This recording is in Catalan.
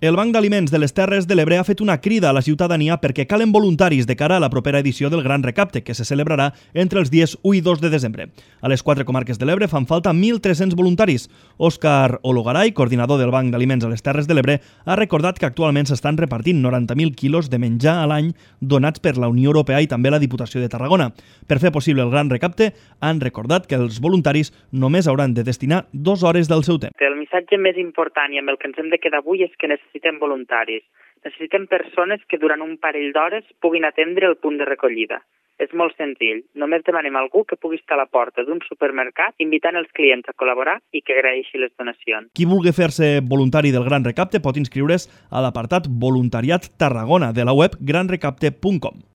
El Banc d'Aliments de les Terres de l'Ebre ha fet una crida a la ciutadania perquè calen voluntaris de cara a la propera edició del Gran Recapte, que se celebrarà entre els dies 1 i 2 de desembre. A les 4 comarques de l'Ebre fan falta 1.300 voluntaris. Òscar Ologaray, coordinador del Banc d'Aliments a les Terres de l'Ebre, ha recordat que actualment s'estan repartint 90.000 quilos de menjar a l'any donats per la Unió Europea i també la Diputació de Tarragona. Per fer possible el Gran Recapte, han recordat que els voluntaris només hauran de destinar 2 hores del seu temps. El missatge més important i amb el que ens hem de quedar avui és que necessitem voluntaris. Necessitem persones que durant un parell d'hores puguin atendre el punt de recollida. És molt senzill. Només demanem a algú que pugui estar a la porta d'un supermercat invitant els clients a col·laborar i que agraeixi les donacions. Qui vulgui fer-se voluntari del Gran Recapte pot inscriure's a l'apartat Voluntariat Tarragona de la web granrecapte.com.